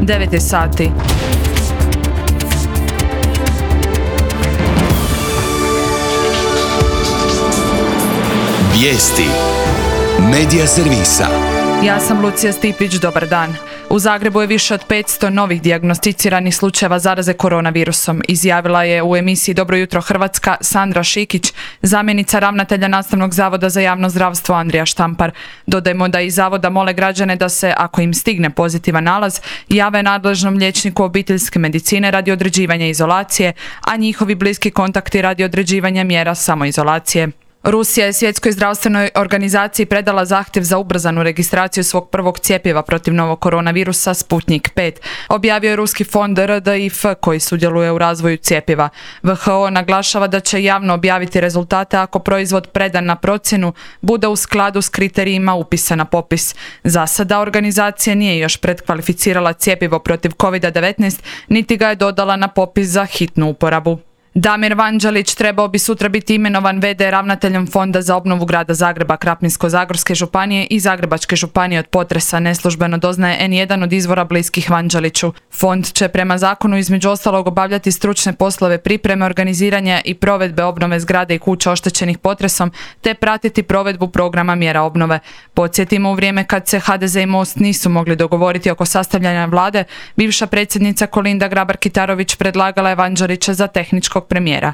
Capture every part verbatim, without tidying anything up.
devet je sati. Vijesti Medija servisa. Ja sam Lucija Stipić, dobar dan. U Zagrebu je više od petsto novih dijagnosticiranih slučajeva zaraze koronavirusom, izjavila je u emisiji Dobro jutro Hrvatska Sandra Šikić, zamjenica ravnatelja Nastavnog zavoda za javno zdravstvo Andrija Štampar. Dodajmo da iz zavoda mole građane da se, ako im stigne pozitivan nalaz, jave nadležnom liječniku obiteljske medicine radi određivanja izolacije, a njihovi bliski kontakti radi određivanja mjera samoizolacije. Rusija je Svjetskoj zdravstvenoj organizaciji predala zahtjev za ubrzanu registraciju svog prvog cjepiva protiv novog koronavirusa Sputnik pet, objavio je ruski fond R D I F koji sudjeluje u razvoju cjepiva. V H O naglašava da će javno objaviti rezultate ako proizvod predan na procjenu bude u skladu s kriterijima upisa na popis. Za sada organizacija nije još predkvalificirala cjepivo protiv kovid devetnaest, niti ga je dodala na popis za hitnu uporabu. Damir Vanđelić trebao bi sutra biti imenovan ve de ravnateljem Fonda za obnovu grada Zagreba, Krapinsko-zagorske županije i Zagrebačke županije od potresa, neslužbeno doznaje en jedan od izvora bliskih Vanđeliću. Fond će prema zakonu između ostalog obavljati stručne poslove pripreme, organiziranja i provedbe obnove zgrade i kuća oštećenih potresom, te pratiti provedbu programa mjera obnove. Podsjetimo, u vrijeme kad se ha de ze i Most nisu mogli dogovoriti oko sastavljanja vlade, bivša predsjednica Kolinda Grabar-Kitarović predlagala je Vanđelića za tehničkog premijera.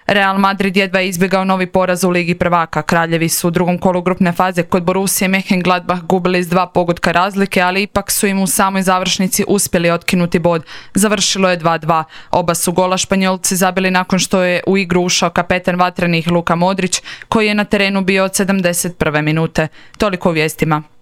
Real Madrid jedva je izbjegao novi poraz u Ligi prvaka. Kraljevi su u drugom kolu grupne faze kod Borussije Mönchengladbach gubili s dva pogotka razlike, ali ipak su im u samoj završnici uspjeli otkinuti bod. Završilo je dva dva. Oba su gola Španjolci zabili nakon što je u igru ušao kapetan vatrenih Luka Modrić, koji je na terenu bio od sedamdeset prve minute. Toliko u vijestima.